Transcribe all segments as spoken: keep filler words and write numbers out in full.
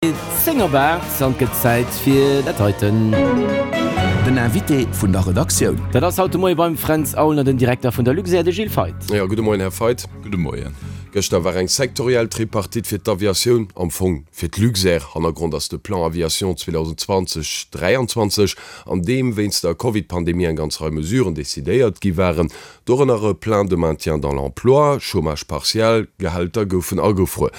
Zéng op aacht an et gëtt Zäit fir dat heiten. Den Invité vun der Redaktioun. Dat ass haut de Moie beim Fränz Aulner den Direkter vun der Luxair, de Gilles Feith. Jo, gudde Moien, Här Feith. Gudde Moien. Gëschter war eng sektoriell Tripartite fir d'Aviatioun, am Fong fir d'Luxair. Hannergrond ass de Plan Aviation zweedausendzwanzeg dräianzwanzeg, an deem wéinst der Covid-Pandemie eng ganz Rei Mesuren decidéiert gi waren, dorënner e Plan de maintien dans l'emploi, Chômage partiel, Gehälter goufen agefruer.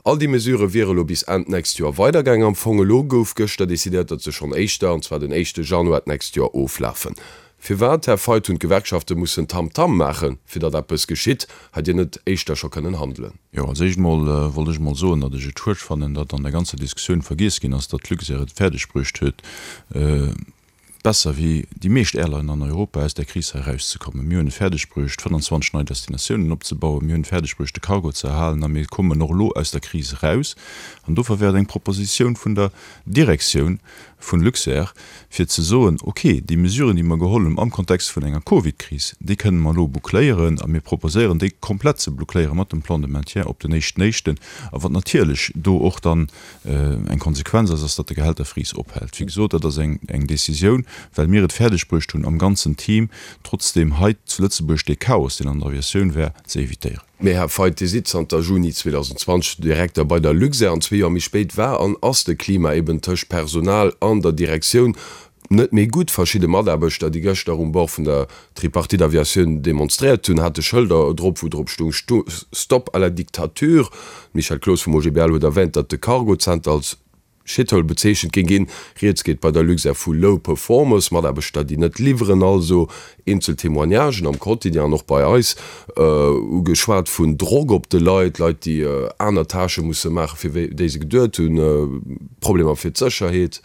All déi Mesurë wiere elo bis Enn d'nächst Joer weidergaangen. Am Fong elo gouf gëschter decidéiert, datt se schonn éischter, an zwar den éischte Januar d'nächst Joer, oflafen. Firwat, Här Feith, hunn d'Gewerkschafte mussen Tamtam maachen, fir datt eppes geschitt? Hätt Dir net éischter scho kënnen handelen? Jo, als éischt mol wollt ech mol soen, datt ech et schued fannen, datt an der ganzer Diskussioun vergiess ginn ass, datt d'Luxair et fäerdeg bruecht huet, besser wéi déi meescht Airlinen an Europa aus där Kris hei erauszekommen. Mir hunn et fäerdeg bruecht, fënnanzwanzeg nei Destinatiounen opzebauen, mir hunn et fäerdeg bruecht, de Cargo ze erhalen a mir kommen och elo aus der Kris eraus. An dofir wär et eng Propositioun vun der Direktioun vun Luxair, fir ze soen, okay, déi Mesuren, déi mer geholl hunn am Kontext vun enger Covid-Kris, déi kënnen mer elo boucléieren a mir proposéieren, déi komplett ze boucléiere mat dem Plan de maintien op den éischten éischten. A wat natierlech do och dann eng Konsequenz ass, ass, datt de Gehälterfris ophält. Wéi gesot, dat ass eng Décisioun, well mir et fäerdeg bruecht hunn, am ganzen Team trotzdeem hei zu Lëtzebuerg dee Chaos, deen an der Aviatioun war, ze évitéieren. Mee Här Feith, Dir sidd zanter Juni zweedausendzwanzeg Direkter bei der Luxair an zwee Joer méi spéit war an ass de Klima eben tëscht Personal an der Direktioun net méi gutt. Verschidde Mataarbechter, déi gëschter um Bord vun der Tripartite Aviatioun demonstréiert hunn, hate Schëlder drop, wou drop stoung Stop à la dictature. D'Michèle Cloos vum O G B L huet erwänt, datt de Cargozenter als Shithole bezeechent géing ginn. Rieds geet bei der Luxair vu Low Performers, Mataarbechter, déi net liwweren. Also eenzel Témoignagen am Quotidien an och bei eis hu geschwat vun Drock op de Leit, Leit, déi aner Tâchë musse maachen, fir déi se geduet hunn, Problemer fir d'Sécherheet.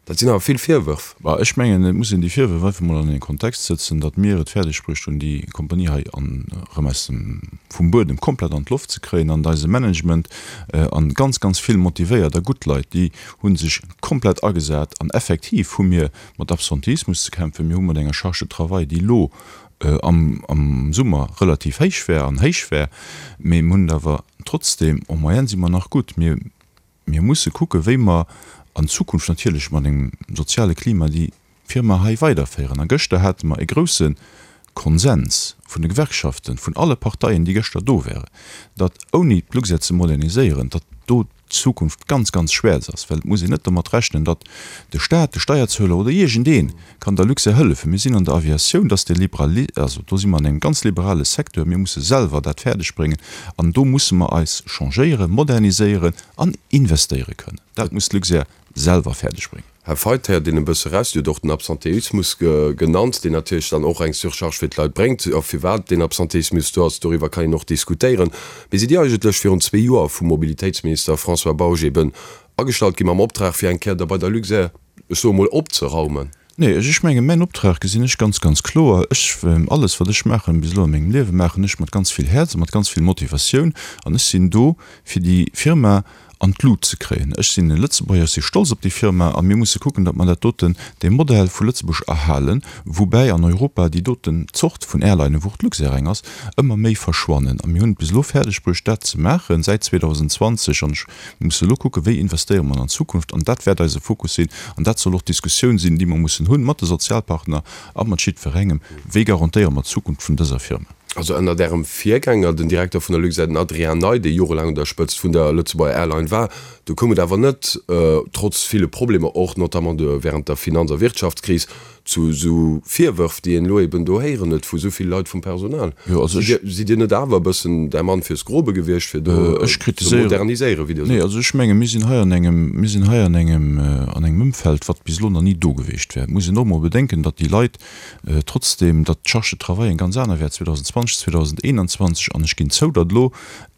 Dat sinn awer vill Virwërf. Bah, ech mengen, et muss een déi Virwërf einfach mol an een Kontext sëtzen, datt mir et fäerdeg bruecht hunn, déi Kompanie hei an erëm aus dem, vum Buedem komplett an d'Loft ze kréien an eise Management an ganz, ganz vill motivéiert a gutt Leit, déi hu sech komplett agesat an effektiv hu mir mat Absenteismus ze kämpfen. Mir hu mat enger Charge de travail, déi elo am, am Summer relativ héich wär an héich wär, mee mir hunn et awer trotzdem, en moyenne si mer nach gutt. Mir, mir musse kucken, wéi mer an Zukunft natierlech mat engem soziale Klima déi Firma hei weiderféieren. A gëschter hate mer e grousse Konsens vun de Gewerkschaften, vun alle Parteien, déi gëschter do waren, datt ouni d'Luxair ze moderniséieren, datt do d'Zukunft ganz, ganz schwäerz ass, well et muss een net domat rechnen, datt de Staat, de Steierzueler oder iergendee kann der Luxair hëllefen. Mir sinn an der Aviatioun, dat ass de liberali-, also do si mer an engem ganz liberale Secteur, mir musse selwer dat fäerdeg bréngen an do musse mer eis changéieren, moderniséieren an investéiere kënnen. Dat muss d'Luxair selwer fäerdeg bréngen. Här Feith, héiert een e bësse raus, Dir hutt och den Absenteismus genannt, deen natierlech dann och eng Surcharge fir d'Leit bréngt. A firwat deen Absenteismus do ass, doriwwer kann een och diskutéieren. Mee sidd Dir eigentlech virun zwee Joer vum Mobilitéitsminister François Bausch eben agestallt gi mam Optrag, fir eng Kéier da bei der Luxair, ech soe mol, opzeraumen? Nee, ech mengen, mäin Optrag gesinn ech ganz, ganz kloer. Ech, alles wat ech maachen bis elo a mengem Liewen, maachen ech mat ganz vill Häerz a mat ganz vill Motivatioun. An ech sinn do, fir déi Firma an d'Lut ze kréien. Ech sinn e Lëtzebuerger, ech si stolz op déi Firma a mir musse kucken, datt mer dat doten, dee Modell vu Lëtzebuerg erhalen, woubäi an Europa déi doten Zort vun Airlinen, wou och d'Luxair eng ass, ëmmer méi verschwannen. A mir hunn et bis elo fäerdeg bruecht, dat ze maachen, säit zweedausendzwanzeg An ech musse elo kucken, wéi investéiere mer an d'Zukunft. An dat wäert eise Fokus sinn an dat soll och d'Diskussioun sinn, déi mer mussen hunn mat de Sozialpartner a mat jiddwerengem, wéi garantéiere mer d'Zukunft vun dëser Firma. Also ënnert Ärem Virgänger, den Direkter vun der Luxair, den Adrien Ney, dee jorelaang un der Spëtzt vun der Lëtzebuerger Airline war, do koum et awer net, trotz ville Problemer, och notamment während der Finanz a Wirtschaftskris, zu esou Virwërf, déi een elo eben do héieren huet vu esou ville Leit vum Personal. Sidd Dir net awer e bëssen der Mann fürs Grobe gewiescht, fir do ze moderniséieren, wéi Dir sot? Nee, also ech menge mir sinn hei an engem, mir sinn hei an engem, an engem Ëmfeld, wat bis elo nach ni do gewiescht wär. Et muss een och emol bedenken, datt déi Leit, Trotzdem, datt d'Charge de travail eng ganz aner wär zweedausendzwanzeg, zweedauseneenanzwanzeg, an ech ginn zou, datt elo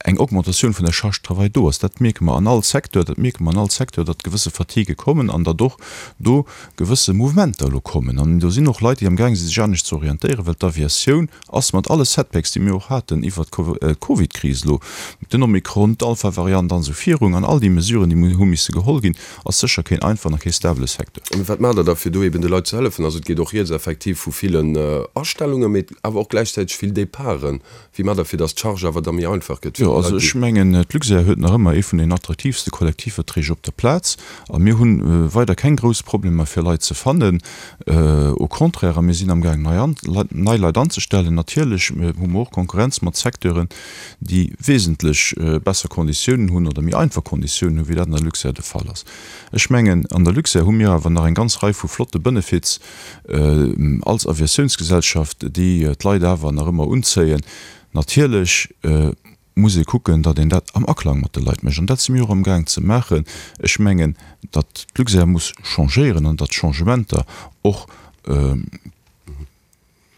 eng Augmentatioun vun der Charge de travail do ass, dat mierke mer an all Secteur, dat mierke mer an all Secteur, datt gewësse Fatiguë kommen an datt och do gewësse Mouvementer elo kommen. An do sinn och Leit, déi amgaang sinn, sech anescht ze orientéieren, well d'Aviatioun ass mat alle Setbacks, déi mir och haten iwwert d'Covidkris elo, den Omikron, d'Alpha-Variant an esou virun, an all déi Mesuren, déi hu misse geholl ginn, ass sécher keen einfachen a kee stabele Secteur. Mee wat maacht Der da, fir do eben de Leit ze hëllefen? Also et geet och rieds effektiv vu villen Astellungen, mee awer och gläichzäiteg vill Departen. Wéi maacht Der, fir datt d'Charge awer da méi einfach gëtt fir Jo, déi also Leit, ech déi. mengen, d'Luxair huet nach ëmmer ee vun den attraktiivste Kollektivverträg op der Plaz a mir hu weider keng grouss Problemer, fir Leit ze fannen. Au contraire, a mir sinn amgaang, nei an, nei Leit anzestellen. Natierlech hu mer och Konkurrenz mat Secteuren, déi wesentlech besser Konditiounen hunn oder méi einfach Konditiounen hunn, wéi dat an der Luxair de Fall ass. Ech mengen, an der Luxair hu mir awer nach eng ganz Rei vu flotte Benefits als Aviatiounsgesellschaft, déi d'Leit awer nach ëmmer unzéien. Natierlech muss ee kucken, datt een dat am Aklang mat de Leit mécht, an dat si mir och amgaang ze maachen. Ech mengen, datt d'Luxair muss changéieren an datt Changementer och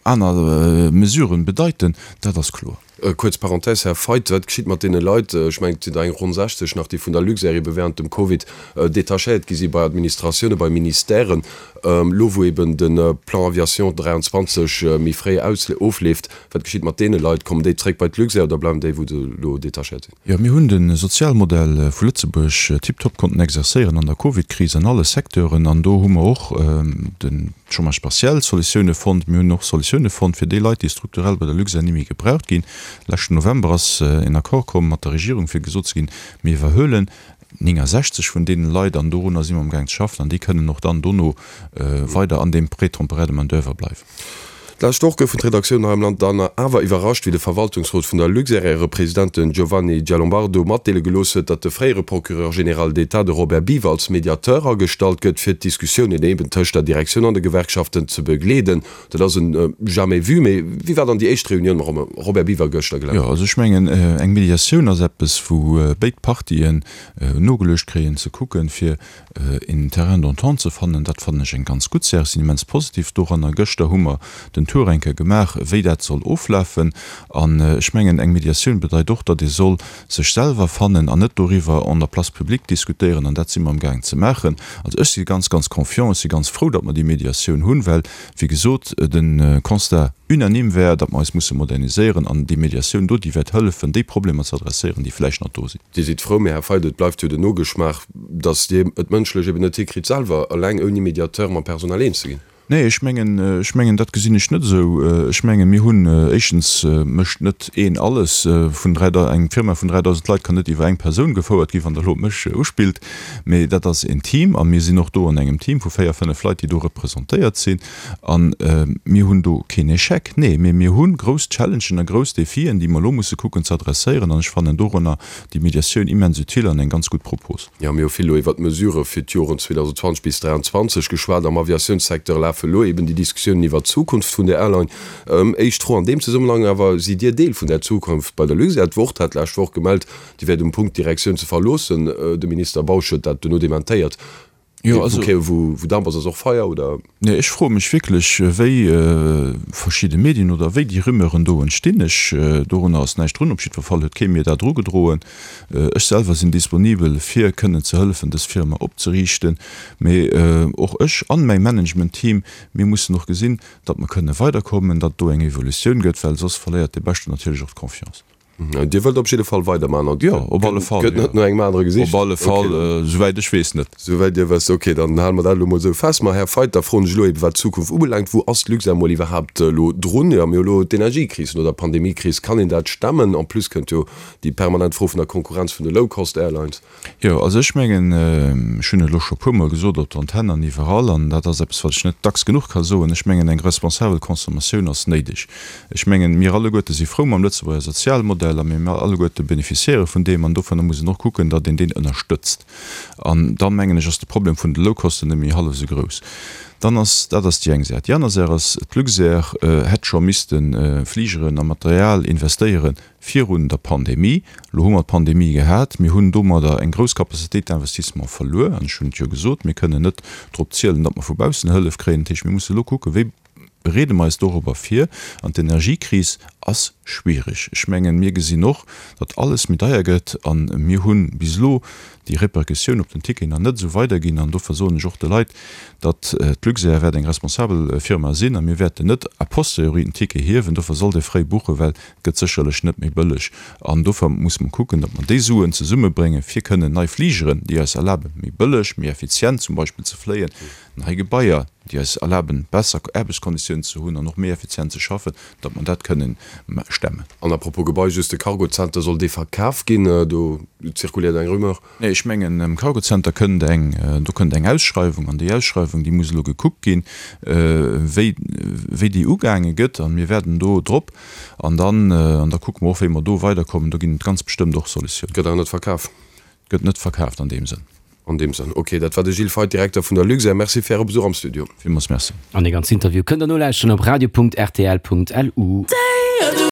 aner Mesuren bedeiten, dat ass kloer. Kuerz Parenthèse, Här Feidt, wat geschitt mat deene Leit, ech mengen et sinn der eng ronn sechzeg nach, déi vun der Luxair ebe während dem Covid detachéiert gi si bei Administratiounen, bei Ministèren, elo wou eben de Plan Aviation dräianzwanzeg méi fréi ofleeft, wat geschitt mat deene Leit? Kommen déi zréck bei d'Luxair oder bleiwen déi wou se elo detachéiert sinn? Jo, mir hunn de Sozialmodell vu Lëtzebuerg tiptop konnten exerzéieren an der Covid-Kris an alle Secteuren an do hu mer och de Chômage partiel Solutioune fonnt. Mir hunn och Solutioune fonnt fir déi Leit, déi strukturell bei der Luxair ni méi gebraucht ginn. Leschten November ass en Accord komm mat der Regierung, fir gesot ze ginn, mir iwwerhuelen néngungsechzeg vun deene Leit an dorunner si mer amgaang ze schaffen an déi kënnen och dann dono weider an deem Prêt temporaire de main-d'oeuvre bleiwen. D'lescht Woch goufen d'Redaktiounen hei am Land dann awer iwwerrascht, wéi de Verwaltungsrot vun der Luxair, äre President, den Giovanni Giallombardo, matdeele gelooss huet, datt de fréiere Procureur général d'État, de Robert Biever, als Mediateur agestallt gëtt, fir d'Diskussiounen eben tëscht der Direktioun an de Gewerkschaften ze begleeden. Dat ass en jamais vu. Mee wéi war dann déi éischt Reunioun mam Robert Biever gëschter gelaf? Jo, also ech mengen, eng Mediatioun ass eppes, wou béid Partien nogeluecht kréien, ze kucken, fir een Terrain d'entente ze fannen. Dat fannen ech eng ganz gutt Saach. Ech sinn immens positiv doranner. Gëschter hu mer den Tour eng Kéier gemaach, wéi dat soll oflafen. An ech mengen, eng Mediatioun bedeit och, datt ee soll sech selwer fannen an net doriwwer an der Place publique diskutéieren. An dat si mer amgaang ze maachen. Also ech si ganz, ganz confiant. Ech si ganz frou, datt mer déi Mediatioun hunn, well, wéi gesot, de Constat unanime wär, datt mer eis musse moderniséieren. An déi Mediatioun do, déi wäert hëllefen, déi Problemer ze adresséieren, déi vläicht nach do sinn. Dir sidd frou, mee Här Feidt, et bleift jo den Nogeschmaach, datt Dir et mënschlech eben net hikritt, selwer eleng ouni Mediateur mam Personal eens ze ginn. Nee, ech mengen, ech mengen, dat gesinn ech net esou. Ech menge mir hunn, éischtens mécht net een alles. Vun dräi, eng Firma vun dräidausend Leit kann net iwwer eng Persoun gefouert ginn, wann Der elo op mech uspillt. Mee dat ass en Team a mir sinn och do an engem Team vu véier, fënnef Leit, déi do representéiert sinn. A mir hunn do keen Échec, nee, mee mir hu grouss Challengen a grouss Defien, déi mer elo musse kucken ze adresséieren. An ech fannen dorunner déi Mediatioun immens utile an eng ganz gutt Propos. Jo, mir hu vill elo iwwert d'Mesurë fir d'Joren zweedausendzwanzeg bis dräianzwanzeg geschwat. Am Aviatiounssecteur lafe elo eben déi Diskussiounen iwwert d'Zukunft vun der Airline. Éischt Fro an deem Zesummenhang awer, Sidd Dir Deel vun där Zukunft bei der Luxair? D'Wort hat d'lescht Woch gemellt, Dir wäert um Punkt, d'Direktioun ze verloossen. De Minister Bausch huet dat duerno dementéiert. Jo, also. Wou Damp ass, ass och Feier, oder? Nee, ech froe mech wierklech, wéi verschidde Medien oder wéi déi Rumeuren do entstinn. Ech, dorunner ass näischt drun. Op jiddwer Fall huet kee mir dat erugedroen. Ech selwer sinn disponibel, fir kënnen ze hëllefen, dës Firma opzeriichten. Mee och ech an mäi Management-Team, mir mussen och gesinn, datt mer kënne weiderkommen, datt do eng Evolutioun gëtt, well soss verléiert dee Beschten natierlech och d'Confiance. Dir wëllt op jidde Fall weiderman an Jo, op alle Fall, gëtt net no engem anere gesicht? Op alle Fall, souwäit ech weess net. Souwäit Dir wësst, ok, dann hale mer dat elo mol esou fest. Ma Här Feidt, da froen ech elo eben, wat d'Zukunft ubelaangt, wou ass d'Luxair mol iwwerhaapt elo drun? Jo, mir hu elo d'Energiekris no der Pandemiekris, kann een dat stemmen? En plus kënnt jo déi permanent Fro vun der Konkurrenz vun de Low-Cost-Airlines. Jo, also ech mengen, ech hunn et elo scho puermol gesot op der Antenn an iwwerall, an dat ass eppes, wat ech net dacks genuch ka soen, ech mengen, eng responsabel Consommatioun ass néideg. Ech mengen, mir alleguerte si frou mam Lëtzebuerger Sozialmodell a mir alleguerte bénéficiéiere vun deem an dovunner muss een och kucken, datt een deen ënnerstëtzt. An da mengen ech, ass de Problem vun de Low-Costen net méi hallef esou grouss. Dann ass, dat ass déi eng Säit. Déi aner Säit ass, d'Luxair hätt scho misste Fligeren a Material investéiere virun der Pandemie. Elo hu mer d'Pandemie gehat. Mir hunn domadder eng grouss Capacité d'investissement verluer. An ech hunn et jo gesot, mir kënnen net drop zielen, datt mer vu baussen Hëllef kréien. Dat heescht, mir musse elo kucken, wéi bereede mer eis dorobber vir an d'Energiekris ass schwierig. Ech mengen, mir gesinn och, datt alles méi deier gëtt a mir hu bis elo déi Repercussioun op den Ticket nach net esou weiderginn an dofir soen ech och de Leit, datt d'Luxair wäert eng responsabel Firma sinn a mir wäerten net a posteriori den Ticket hiewen. Dofir sollt ee fréi buchen, well et gëtt sécherlech net méi bëlleg an dofir musse mer kucken, datt mer déi Suen zesummebréngen, fir kënnen nei Fligeren, déi eis erlaben, méi bëlleg, méi effizient zum Beispill ze fléien, nei Gebaier, déi eis erlaben, besser Aarbechtskonditiounen ze hunn an och méi effizient ze schaffen, datt mer dat kënnen stemmen. An à propos Gebai, just de Cargozenter, soll dee verkaf ginn? Do zirkuléiert eng Rumeur. Nee, ech mengen, um Cargozenter kënnt eng, do kënnt eng Ausschreiwung an déi Ausschreiwung, déi muss elo gekuckt ginn, wéi, wéi déi ugaange gëtt. A mir wäerten do drop an dann, an da kucke mer och, wéi mer do weiderkommen. Do ginn et ganz bestëmmt och Solutiounen. Gëtt awer net verkaf? Gëtt net verkaaft an deem Sënn. An deem Sënn. Ok, dat war de Gilles Feith, Direkter vun der Luxair. Merci fir Äre Besuch am Studio. Villmools Merci. An dee ganzen Interview kënnt der nolauschteren op radio.rtl.lu.